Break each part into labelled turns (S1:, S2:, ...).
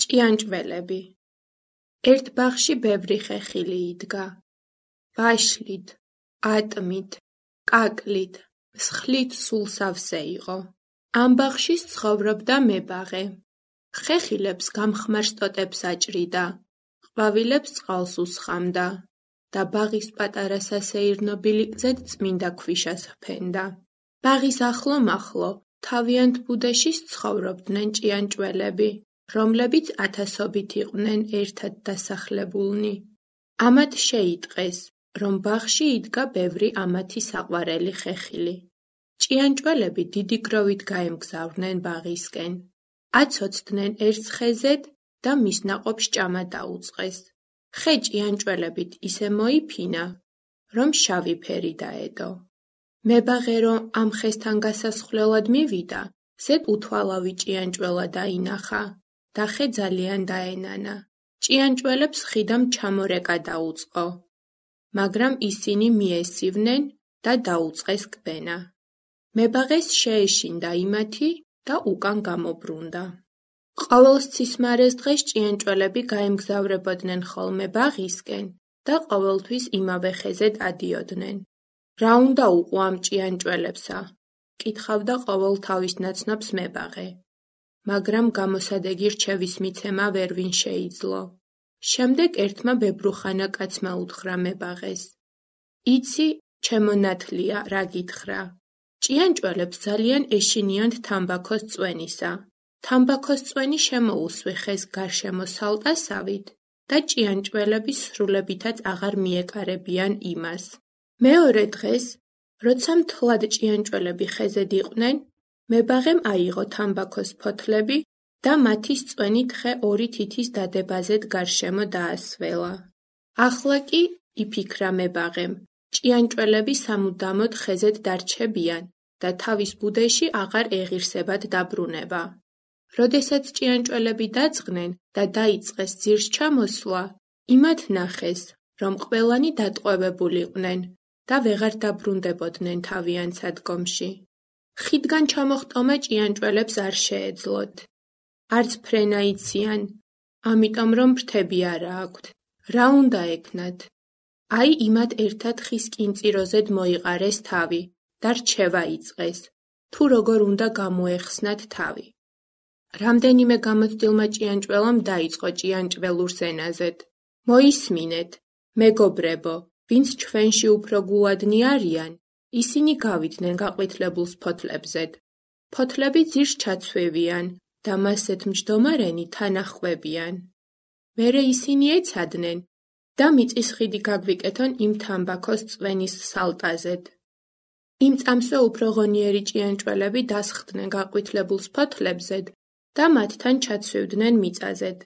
S1: ჭიანჭველები. ერთ ბაღში ბევრი ხეხილი იდგა. ვაშლით, ატმით, კაკლით, მსხლით სულ სავსე იყო. ამ ბაღში ცხოვრობდა მებაღე. ხეხილებს გამხმარს ტოტებს აჭრიდა, ყვავილებს წყალს უსხამდა და ბაღის პატარა სასეირნობილი გზად წმინდა ქვიშას ჰფენდა. ბაღის ახლო-მახლო თავიანთ ბუდეში ცხოვრობდნენ ჭიანჭველები, რომლებიც ათასობით იყვნენ ერთად დასახლებულნი. ამათ შეიტყეს, რომ ბაღში იდგა ბევრი ამათი საყვარელი ხეხილი. ჭიანჭველები დიდი გროვით გაემგზავრნენ ბაღისკენ. აცოცდნენ ერთ ხეზედ და მის ნაყოფს ჭამა დაუწყეს. ხე ჭიანჭველებით ისე მოიფინა, რომ შავი ფერი დაედო. მებაღე რომ ამ ხესთან გასასხვლელად მივიდა, ზედ უთვალავი ჭიანჭველა დაინახა და ხე ძალიან დაენანა. ჭიანჭველებს ხიდამ ჩამორეკა დაუწყო, მაგრამ ისინი მიესივნენ და დაუწყეს კბენა. მებაღეს შეეშინდა იმათი და უკან გამობრუნდა. ყოველ სცისმარეს დღეს ჭიანჭველები გაემგზავრებოდნენ ხოლმე ბაღისკენ და ყოველთვის იმავე ხეზედ ადიოდნენ. რა უნდა უყო ამ ჭიანჭველებსა? კითხავდა ყოველ თავის ნაცნობს მებაღე. მაგრამ გამოსადეგი რჩევის მიცემა ვერ ვინ შეიძლო. შემდეგ ერთმა ბებრუხანა კაცმა უთხრა მებაღეს. იცი, ჩემო ნათლია, რა გითხრა. ჭიანჭველებს ძალიან ეშინიანთ თამბაქოს წვენისა. თამბაქოს წვენი შემოუსვი ხეს გარშემო სალტასავით და ჭიანჭველები სრულებითაც აღარ მიეკარებიან იმას. მეორე დღეს, როცა მთლად ჭიანჭველები ხეზედ იყვნენ, მებაღემ აიღო თამბაქოს ფოთლები და მათის წვენით ხე ორი თითის დადებაზედ გარშემო დაასველა. ახლა კი, იფიქრა მებაღემ, ჭიანჭველები სამუდამოდ ხეზედ დარჩებიან და თავის ბუდეში აღარ ეღირსებად დაბრუნება. როდესაც ჭიანჭველები დაწყნენ და დაიწყეს ძირს ჩამოსვლა, იმათ ნახეს, რომ ყველანი დატყვევებულიყვნენ და ვეღარ დაბრუნდებოდნენ თავიანთ სადგომში. ხიდგან ჩამოხტომა ჭიანჭველებს არ შეეძლოთ. არც ფრენა იციან, ამიტომ რომ ფრთები არა აქვთ. რა უნდა ეკნათ? აი იმათ ერთად ხის კინწიროზედ მოიყარეს თავი და რჩევა იწყეს, თუ როგორ უნდა გამოეხსნათ თავი. რამდენიმე გამოცდილმა ჭიანჭველამ დაიწყო ჭიანჭველურ ზენაზედ. მოისმინეთ, მეგობრებო, ვინც ჩვენში უფრო გულადნი არიან, ისინი გავიდნენ გაყვითლებულს ფოთლებზედ. ფოთლები ძირს ჩაცვევიან და მასეთ მჯდომარენი თან ახვევიან. მერე ისინი ეცადნენ და მიწის ხიდი გაგვიკეთონ იმ თამბაქოს წვენის სალტაზედ. იმ წამსვე უფრო ღონიერი ჭიანჭველები დასხდნენ გაყვითლებულს ფოთლებზედ და მათთან ჩაცვევდნენ მიწაზედ.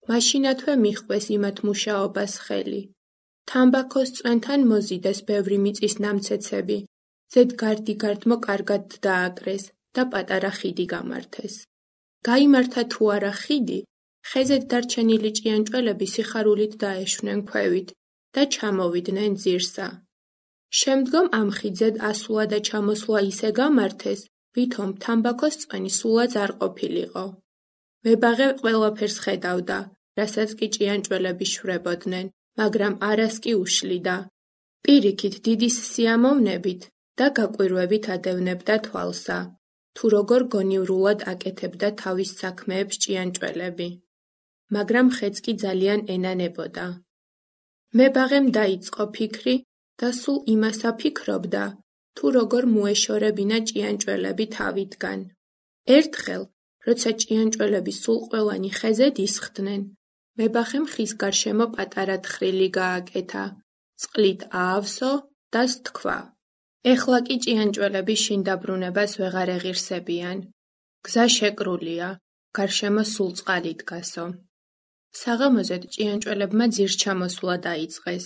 S1: მაშინათვე მიჰყვეს იმათ მუშაობას ხელი. თამბაქოს წვენთან მოზიდეს ბევრი მიწის ნამცეცები, ზედ გარდიგარდმო კარგად დააკრეს და პატარა ხიდი გამართეს. გაიმართა თუ არა ხიდი, ხეზედ დარჩენილი ჭიანჭველები სიხარულით დაეშვნენ ქვევით და ჩამოვიდნენ ძირსა. შემდგომ ამ ხიდზედ ასვლა და ჩამოსვლა ისე გამართეს, ვითომ თამბაქოს წვენი სულაც არ ყოფილიყო. მებაღე ყველაფერს ხედავდა, რასაც კი ჭიანჭველები შვებოდნენ, მაგრამ არას კი უშლიდა. პირიქით დიდის სიამოვნებით და გაკვირვებით ადევნებდა თვალსა, თუ როგორ გონივრულად აკეთებდა თავის საქმეებს ჭიანჭველები. მაგრამ ხეც კი ძალიან ენანებოდა. მებაღემ დაიწყო ფიქრი და სულ იმას აფიქრობდა, თუ როგორ მოეშორებინა ჭიანჭველები თავიდან. ერთხელ, როცა ჭიანჭველები სულ ყველანი ხეზედ ისხდნენ, მებაღემ ხის გარშემო პატარა თხრილი გააკეთა, წყლით აავსო და სთქვა. ეხლა კი ჭიანჭველები შინ დაბრუნებას ვეღარ ეღირსებიან. გზა შეკრულია, გარშემო სულ წყალი დგასო. საღამოზედ ჭიანჭველებმა ძირს ჩამოსვლა დაიწყეს.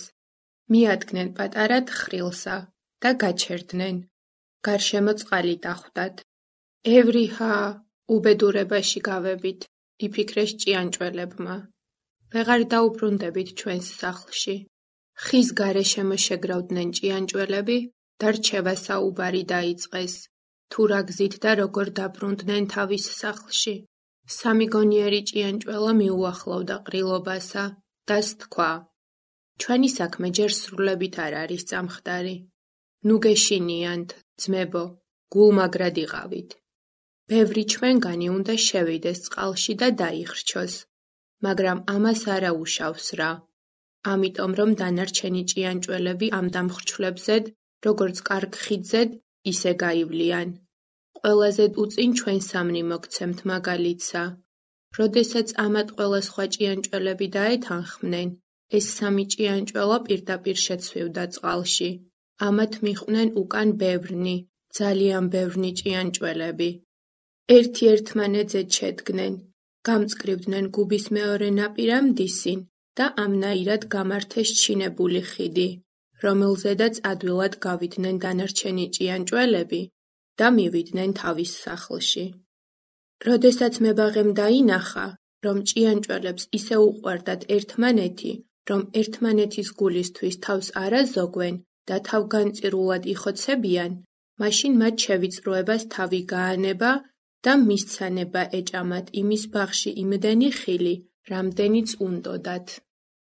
S1: მიადგნენ პატარა თხრილსა და გაჩერდნენ. გარშემო წყალი დახვდათ. ევრიჰა, უბედურებაში გავებით, იფიქრეს ჭიანჭველებმა. ვეღარ დაუბრუნდებით ჩვენს სახლში. ხის გარეშემო შეგრავდნენ ჭიანჭველები და რჩევა საუბარი დაიწყეს, თუ რა გზით და როგორ დაბრუნდნენ თავის სახლში. სამიგონიერი ჭიანჭველა მიუახლოვდა ყრილობასა დას თქვა: ჩვენი საქმე ჯერ სრულებით არ არის წამხდარი. ნუ გეშინიანთ, ძმებო, გულმაგრად იყავით. ბევრი ჩვენგანი უნდა შევიდეს წყალში და დაიხრჩოს, მაგრამ ამას არა უშავს რა. ამიტომ რომ დანარჩენი ჭიანჭველები ამ დამხრჩვლებზე, როგორც კარგ ხიდზედ, ისე გაივლიან. ყველაზე უწინ ჩვენ სამნი მოგცემთ მაგალითსა. როდესაც ამათ ყველა სხვა ჭიანჭველები დაეთანხმნენ, ეს სამი ჭიანჭველა პირდაპირ შეცვივდა წყალში. ამათ მიჰყვნენ უკან ბევრნი, ძალიან ბევრნი ჭიანჭველები. ერთი-ერთმანეთზე ჩედგნენ, გამწკრივდნენ გუბის მეორე ნაპირამდისინ და ამნაირად გამართეს ჩინებული ხიდი, რომელზედაც ადვილად გავიდნენ დანარჩენი ჭიანჭველები და მივიდნენ თავის სახლში. როდესაც მებაღემ დაინახა, რომ ჭიანჭველებს ისე უყვარდათ ერთმანეთი, რომ ერთმანეთის გულისთვის თავს არ აზოგვენ და თავგანწირულად იხოცებიან, მაშინ მათ შევიწროებას თავი გაანება და მისცანება ეჭამათ იმის ბაღში იმდენი ხილი, რამდენიც უნდოდათ.